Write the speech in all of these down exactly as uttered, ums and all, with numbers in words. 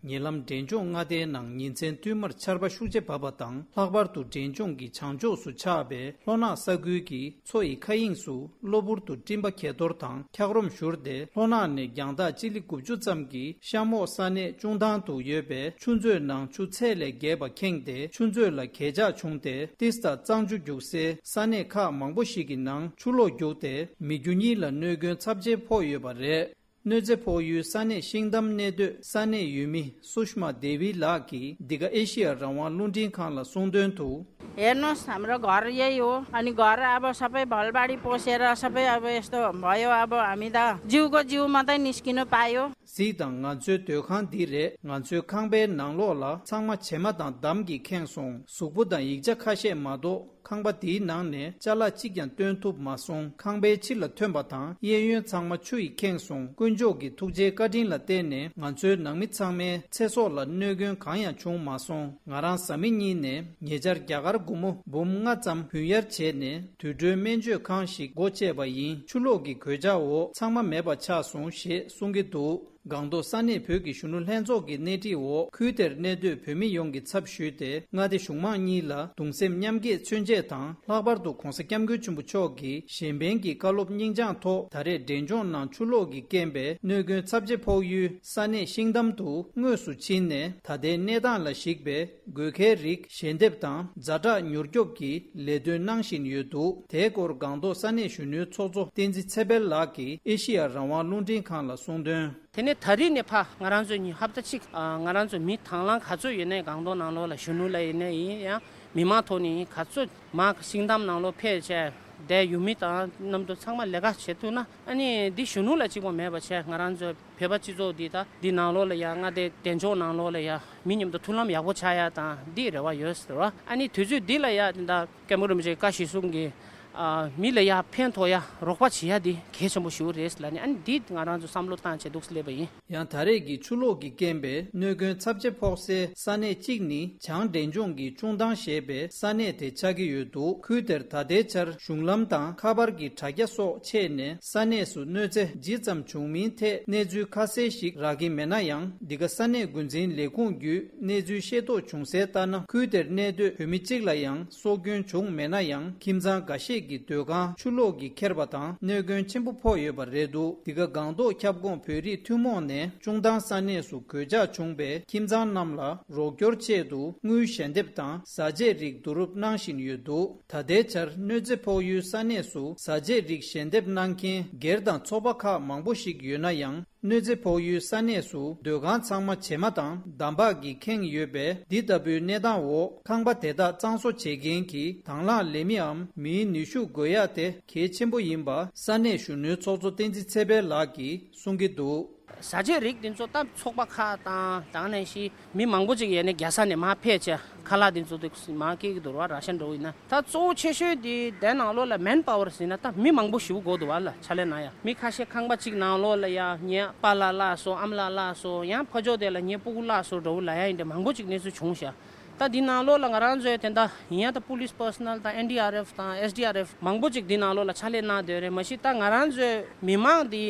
ཉེ་ལམ་འབྲས་ལྗོངས་མངའ་སྡེའི་ནང་ཉིན་མཚན་བསྟུད་མར་ཆར་པ་ཤུགས་ཆེ་བབས་པ་དང་། ལྷག་པར་དུ་འབྲས་ལྗོངས་ཀྱི་བྱང་ཕྱོགས་སུ་ཆགས་པའི་ལྷོ་ནག་ས་ཁུལ་གྱི་མཚོ་ཡི་མཁའ་དབྱིངས་སུ་གློ་བུར་དུ་སྤྲིན་པ་གས་གཏོར་དང་འཁྱགས་རོམ་བཞུར་ཏེ། ལྷོ་ནག་ནས་རྒྱང་ཐག་སྤྱི་ལེ་དགུ་བཅུ་ཙམ་གྱི་གཤམ་འོག་ས་གནས་ཅུང་ཐང་དུ་ཡོད་པའི་ཆུ་མཛོད་ནང་ཆུ་ཚད་ལས་བརྒལ་བ་ཁེངས་ཏེ། ཆུ་མཛོད་ལ་གས་ཆག་བྱུང་སྟེ། ཏིས་དང་གཙང་ཆུ་རྒྱུག་སའི་ས་གནས་ཁག་མང་པོ་ཞིག་གི་ནང་ཆུ་ལོག་རྒྱུག་སྟེ། མི་རྒྱུ་གཉིས་ལ་གནོད་སྐྱོན་ཚབས་ཆེན་ཕོག་ཡོད་པ་རེད། གནོད་འཚེ་ཕོག་ཡུལ་ས་གནས་ཤིང་འདམ་གནས་སྡོད་ས་གནས་ཡུལ་མི་སུཤ་མ་དེ་བི་ལགས་ཀྱིས་འདི་ག་ཨེ་ཤི་ཡ་རང་དབང་རླུང་འཕྲིན་ཁང་ལ་གསུངས་དོན་དུ། हेर्नुहोस्, हाम्रो घर यही हो। अनि घर अब सबै भलबाडी पोसेर सबै अब यस्तो भयो। अब हामी त जिउको जिउ मात्रै निस्किनु पायो। གཟིགས་དང་། ང་ཚོའི་སྡོད་ཁང་འདི་རེད། ང་ཚོའི་ཁང་པའི་ནང་ལོགས་ལ་ཚང་མ་བྱེ་མ་དང་འདམ་གྱིས་ཁེངས་སོང་། གཟུགས་པོ་དང་ཡིག་ཆ་ཁ་ཤས་མ་གཏོགས། ཁང་པ་དེའི་ནང་ནས་ཅ་ལག་གཅིག་ཀྱང་བཏོན་ཐུབ་མ་སོང་། ཁང་པའི་ཕྱི་ལ་ཐོན་པ་དང་། གཡས་གཡོན་ཚང་མ་ཆུ་ཡིས་ཁེངས་སོང་། དཀོན་མཆོག་གི་ཐུགས་རྗེའི་བཀའ་དྲིན་ལ་བརྟེན་ནས། ང་ཚོའི་ནང་མི་ཚང་མའི་ཚེ་སྲོག་ལ་གནོད་སྐྱོན་གང་ཡང་བྱུང་མ་སོང་། ང་རང་གཟའ་མིག་དམར་ཉིན་ནས་ཉེ་ཆར་རྒྱ་གར་སྒོར་མོ་འབུམ་ལྔ་ཙམ་ཕུལ་གཡར་བྱས་ནས། དུད་འགྲོའི་སྨན་བཅོས་ཁང་ཞིག་སྒོ་བཅད་པ་ཡིན། ཆུ་ལོག་གི་གོད་ཆག་འོག་ཚང་མ་མེད་པ་ཆགས་སོང་ཞེས་གསུང་གི་འདུག། སྒང་ཏོག་ས་གནས་བོད་ཀྱི་གཞོན་ནུ་ལྷན་ཚོགས་ཀྱི་སྣེ་ཁྲིད་འོག། ཁུལ་དེར་གནས་སྡོད་བོད་མི་ཡོངས་ཀྱི་ཚབ་ཞུས་ཏེ། མངའ་སྡེ་གཞུང་མང་གཉིས་ལ་གདུང་སེམས་མཉམ་སྐྱེད་མཚོན་ཆེད་དང་། ལྷག་པར་དུ་༧གོང་ས་༧སྐྱབས་མགོན་ཆེན་པོ་མཆོག་གི་གཞན་ཕན་གྱི་བཀའ་སློབ་སྙིང་བཅངས་ཐོག། ད་རེས་འབྲས་ལྗོངས་ནང་ཆུ་ལོག་གི་རྐྱེན་པས་གནོད་སྐྱོན་ཚབས་ཆེ་ཕོག་ཡུལ་ས་གནས་ཤིང་འདམ་དུ་དངོས་སུ་ཕྱིན་ནས། ད་ལྟའི་གནས་སྟངས་ལ་གཞིགས་པའི་དགོས་གལ་རིགས་ཞལ་འདེབས་དང་ཛ་དྲག་མྱུར་སྐྱོབ་ཀྱི་ལས་དོན་གནང་བཞིན་ཡོད་འདུག། དེའི་སྐོར་སྒང་ཏོག་ས་གནས་གཞོན་ནུའི་ཚོགས་གཙོ་བསྟན་འཛིན་ཚེ་འཕེལ་ལགས་ཀྱིས་ཨེ་ཤེ་ཡ་རང་དབང་རླུང་འཕྲིན་ཁང་ལ་གསུངས་དོན། དེ་ནས་ད་རེས་ནས་ཕར་ང་རང་ཚོ་ཉིན་ཧབ་ཏ་གཅིག་ཨ། ང་རང་ཚོ་མི་དང་བླངས་ག་ཚོད་ཡོད་ནའི་སྒང་ཏོག་ནང་ལོགས་ལ་གཞོན་ནུ་ལ་ཡིན་ནའི་ཡིན་ཡང་མི་མང་ཐོག་ནས་ག་ཚོད་མར་ཤིང་འདམ་ནང་ལོགས་ཕེབས་བྱས་དེ་ཡུལ་མི་དང་མཉམ་དུ་ཚང་མ་ལས་ཀ་བྱེད་ཐུབ་ན། ཨ་ནི་འདི་གཞོན་ནུ་ལ་གཅིག་པོ་མེད་པ་བྱས། ང་རང་ཚོ་བོད་པ་སྤྱི་ཚོགས་འདི་ད་འདི་ནང་ལོགས་ལ་ཡང་མངའ་སྡེ་འབྲས་ལྗོངས་ནང་ལོགས་ལ་ཡང་མི་མཉམ་དུ་མཐུན་ལམ་ཡག་པོ་ཆགས་ཡ་དང་འདི་རེ་བ་ཡོད་ཟེར་བ། ཨ་ནི་དུས་ཚོད་འདི་ལ་ཡང་འདི་ད་སྐྱབས་མགོན་རིན་པོ་ཆེའི་བཀའ་གཞིར་བཟུང་གི་ཨ། མི་ལ་ཡ་ཕན་ཐོགས་ཡ་རོགས་པ་བྱེད་ཡ་འདི་གལ་ཆེན་པོ་ཞིག་རེད་ལབ་ནས། ཨ་ནི་འདི་ང་རང་ཚོ་བསམ་བློ་བཏང་བྱས་འདུག་སླེབས་པ་ཡིན། ཡང་ད་རེས་ཀྱི་ཆུ་ལོག་གི་རྐྱེན་པས་གནོད་སྐྱོན་ཚབས་ཆེ་ཕོག་སའི་ས་གནས་གཅིག་ནི་བྱང་འབྲས་ལྗོངས་ཀྱི་ཅུང་ཐང་ཞེས་པའི་ས་གནས་དེ་ཆགས་ཀྱི་ཡོད་འདུག། ཁུལ་དེར་ད་ལྟའི་ཆར་གཞུང་ལམ་དང་ཁ་པར་གྱི་དྲ་རྒྱ་སོགས་ཆད་ནས། ས་གནས་སུ་གནོད་འཚེ་ཇི་ཙམ་བྱུང་མིན་ཐད་གནས་ཚུལ་ཁ་གསལ་ཞིག་རག་གི་མེད་ན་ཡང་། འདི་ག་ས་གནས་འགོ་འཛིན་ལས་ཁུངས་བརྒྱུད། གནས་ཚུལ་ཤེས་རྟོགས་བྱུང་གསལ་ལྟར་ན། ཁུལ་དེར་གནས་སྡོད་བོད་མི་གཅིག་ལ་ཡང་སྲོག་སྐྱོན་བྱུང་མེད་ན་ཡང་། ཁྱིམ་ཚང་འགའ་ཤས་ཀྱི་སྡོད་ཁང་ཆུ་ལོག་གིས་ཁྱེར་བ་དང་། གནོད་སྐྱོན་ཆེན་པོ་ཕོག་ཡོད་པ་རེད་འདུག། འདི་ག་སྒང་ཏོག་ཁྱབ་ཁོངས་བོད་རིགས་ཐུན་མོང་ནས་ཅུང་ཐང་ས་གནས་སུ་གོད་ཆག་བྱུང་བའི་ཁྱིམ་ཚང་རྣམས་ལ་རོགས་སྐྱོར་ཆེད་དུ་དངུལ་ཞལ་འདེབས་དང་བཟའ་ཆས་རིགས་བསྡུ་རུབ་གནང་བཞིན་ཡོད་འདུག། ད་ལྟའི་ཆར་གནོད་འཚེ་ཕོག་ཡུལ་ས་གནས་སུ་བཟའ་ཆས་རིགས་ཞལ་འདེབས་གནང་མཁན་སྒེར་དང་ཚོགས་པ་ཁག་མང་པོ་ཞིག་ཡོད་ན་ཡང་། གནོད་འཚེ་ཕོག་ཡུལ་ས་གནས་སུ་སྡོད་ཁང་ཚང་མ་བྱེ་མ་དང་འདམ་བག་གིས་ཁེངས་ཡོད་པས། འདི་ལྟ་བུའི་གནས་སྟངས་འོག་ཁང་པ་དེ་དག་གཙང་བཟོ་བྱེད་མཁན་གྱི་དང་བླངས་ལས་མིའམ་མིའི་ནུས་ཤུགས་དགོས་ཡ་དེ་གལ་ཆེན་པོ་ཡིན་པ་ས་གནས་གཞོན་ནུའི་ཚོགས་གཙོ་བསྟན་འཛིན་ཚེ་འཕེལ་ལགས་ཀྱིས་གསུང་གི་འདུག། བཟའ་ཆས་རིགས་འདི་ཚོ་ད་ཚོགས་པ་ཁག་དང་དང་ནས་ཤི་མི་མང་པོ་ཅིག་ཡས་ནས་རྒྱལ་ས་ནས་མར་ཕེབས་བྱས་ཁ་ལག་འདི་ཚོ་དེ་མར་སྐྱེལ་གྱི་འདུག་ར། ར་ཤན་འདྲ་བོ་ཡིན་ན། ད་གཙོ་བོ་ཆེ་ཤོས་དེ་དེ་ནང་ལོགས་ལ་མེན་པ་ཝར་ཟེར་ན་ད་མི་མང་པོ་ཞེ་པོ་དགོས་འདུག་བ་ལ། ཕྱག་ལས་གནང་ཡ་མི་ཁ་ཤས་ཁང་པ་གཅིག་ནང་ལོགས་ལ་ཡ་ངའི་པཱ་ལགས་བརླགས་སོང་། ཨ་མ་ལགས་བརླགས་སོང་། ཡང་ཕ་ཕྱོགས་དེ་ལ་ངའི་སྤུ་གུ་བརླགས་སོང་འདྲ་བོ་ལབ་ཡ་ཡིན་ཏེ་མང་པོ་ཅིག་གནས་ཚུལ་བྱུང་ཤག། ད་འདི་ནང་ལོགས་ལ་ང་རང་ཚོའི་དེ་འདྲ་ཡིན་ཡ་ད་པུ་ལིས་པར་སོ་ནལ་དང་ཨེན་ཌི་ཨར་ཨེཕ་དང་ཨེས་ཌི་ཨར་ཨེཕ་མང་པོ་ཅིག་འདི་ནང་ལོགས་ལ་ཕྱག་ལས་གནང་བསྡད་རེད། མ་གཞི་ད་ང་རང་ཚོའི་མི་མང་འདི་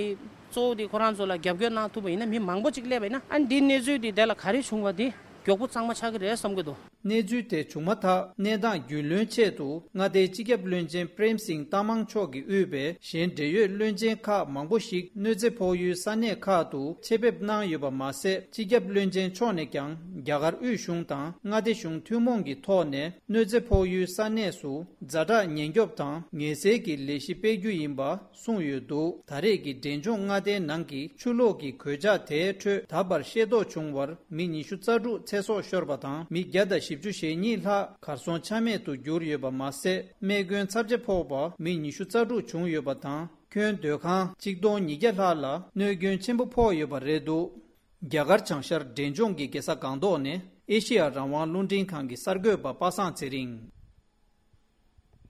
གཙོ་བོ་འདི་ཁོ་རང་ཚོ་ལ་རྒྱབ་སྐྱོར་གནང་ཐུབ་པ་ཡིན་ན་མི་མང་པོ་ཅིག་སླེབས་པ་ཡིན་ན། ཨ་འདི་གནས་ཚུལ་འདི་དེ་ལ་ག་རེ་བྱུང་བ་འདི་མགྱོགས་པོ་གཙང་མ་ཆགས་ཀྱི་རེད་བསམ་གྱི་འདུག། གནས་ཚུལ་དེ་བྱུང་མ་ཐག་གནས་སྟངས་རྒྱུས་ལོན་ཆེད་དུ་མངའ་སྡེའི་སྤྱི་ཁྱབ་བློན་ཆེན་པྲེམ་སིང་ཏ་མང་མཆོག་གིས་དབུས་པའི་གཞན་འབྲེལ་ཡོད་བློན་ཆེན་ཁག་མང་པོ་ཞིག་གནོད་འཚེ་ཕོག་ཡུལ་ས་གནས་ཁག་ཏུ་ཆེད་ཕེབས་གནང་ཡོད་པ་མ་ཟད། སྤྱི་ཁྱབ་བློན་ཆེན་མཆོག་ནས་ཀྱང་རྒྱ་གར་དབུས་གཞུང་དང་མངའ་སྡེ་གཞུང་ཐུན་མོང་གི་ཐོག་ནས་གནོད་འཚེ་ཕོག་ཡུལ་ས་གནས་སུ་ཛ་དྲག་ཉེན་སྐྱོབ་དང་ངལ་སེལ་གྱི་ལས་གཞི་སྤེལ་རྒྱུ་ཡིན་པ་གསུངས་ཡོད་འདུག། ད་རེས་ཀྱི་འབྲས་ལྗོངས་མངའ་སྡེའི་ནང་གི་ཆུ་ལོག་གི་གོད་ཆག་དེའི་ཁྲོད་ད་བར་ཤེས་རྟོགས་བྱུང་བར་མི་ཉི་ཤུ་རྩ་དྲུག་ཚེ་སྲོག་ཤོར་བ་དང་། མི་བརྒྱ་དང་བཞི་བཅུ་ཞེ་གཉིས་ལྷག་གར་སོང་ཆ་མེད་དུ་གྱུར་ཡོད་པ་མ་ཟད། རྨས་སྐྱོན་ཚབས་ཆེ་ཕོག་པ་མི་ཉི་ཤུ་རྩ་དྲུག་བྱུང་ཡོད་པ་དང་། ཁྱོན་སྡོད་ཁང་གཅིག་སྟོང་ཉིས་བརྒྱ་ལྷག་ལ་གནོད་སྐྱོན་ཆེན་པོ་ཕོག་ཡོད་པ་རེད་འདུག། རྒྱ་གར་བྱང་ཤར་འབྲས་ལྗོངས་ཀྱི་རྒྱལ་ས་སྒང་ཏོག་ནས་ཨེ་ཤེ་ཡ་རང་དབང་རླུང་འཕྲིན་ཁང་གི་གསར་འགོད་པ་པ་སངས་ཚེ་རིང་།